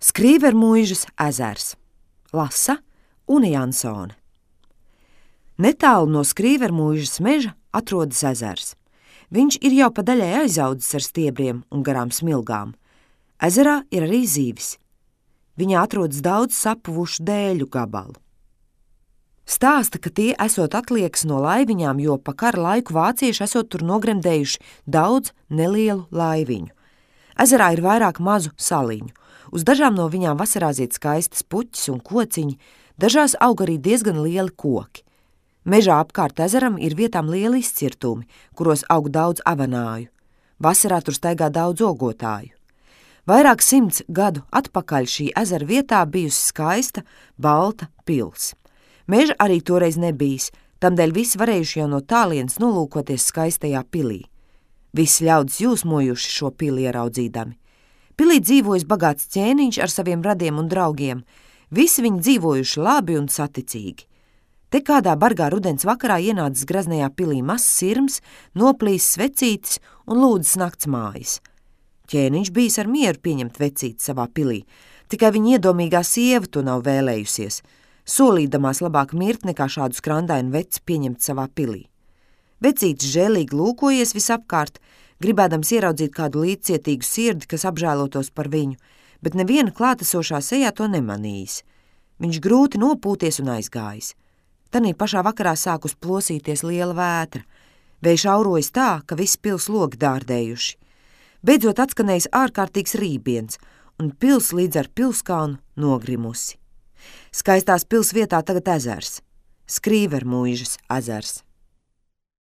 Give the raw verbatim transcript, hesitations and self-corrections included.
Skrīvermuižas ezers. Lasa Une Jansone. Netālu no Skrīvermuižas meža atrodas ezers. Viņš ir jau pa daļai aizaudzis ar stiebriem un garām smilgām. Ezerā ir arī zīvis. Viņā atrodas daudz sapuvušu dēļu gabalu. Stāsta, ka tie esot atliekas no laiviņām, jo pa kara laiku vācieši esot tur nogremdējuši daudz nelielu laiviņu. Ezerā ir vairāk mazu saliņu. Uz dažām no viņām vasarā zied skaistas puķis un kociņi, dažās aug arī diezgan lieli koki. Mežā apkārt ezeram ir vietām lieli izcirtumi, kuros aug daudz avanāju. Vasarā tur staigā daudz ogotāju. Vairāk simts gadu atpakaļ šī ezera vietā bijusi skaista, balta pils. Meža arī toreiz nebijis, tamdēļ visi varējuši jau no tālienes nolūkoties skaistajā pilī. Visi ļaudis jūsmojuši šo pili ieraudzīdami. Pilī dzīvojas bagāts ķēniņš ar saviem radiem un draugiem. Visi viņi dzīvojuši labi un saticīgi. Te kādā bargā rudens vakarā ienācis graznajā pilī mazs sirms, noplīs svecītis un lūdzas naktsmājas. Ķēniņš bijis ar mieru pieņemt vecīti savā pilī, tikai viņa iedomīgā sieva to nav vēlējusies, solīdamās labāk mirt nekā šādu skrandainu veci pieņemt savā pilī. Vecītis žēlīgi lūkojies visapkārt, gribēdams ieraudzīt kādu līdzcietīgu sirdi, kas apžēlotos par viņu, bet neviena klātesošā sejā to nemanījis. Viņš grūti nopūties un aizgājis. Tanī pašā vakarā sākus plosīties liela vētra. Vējš aurojas tā, ka visi pils logi dārdējuši. Beidzot atskanējis ārkārtīgs rībiens, un pils līdz ar pilskalnu nogrimusi. Skaistās pils vietā tagad ezers, Skrīvermuižas ezers.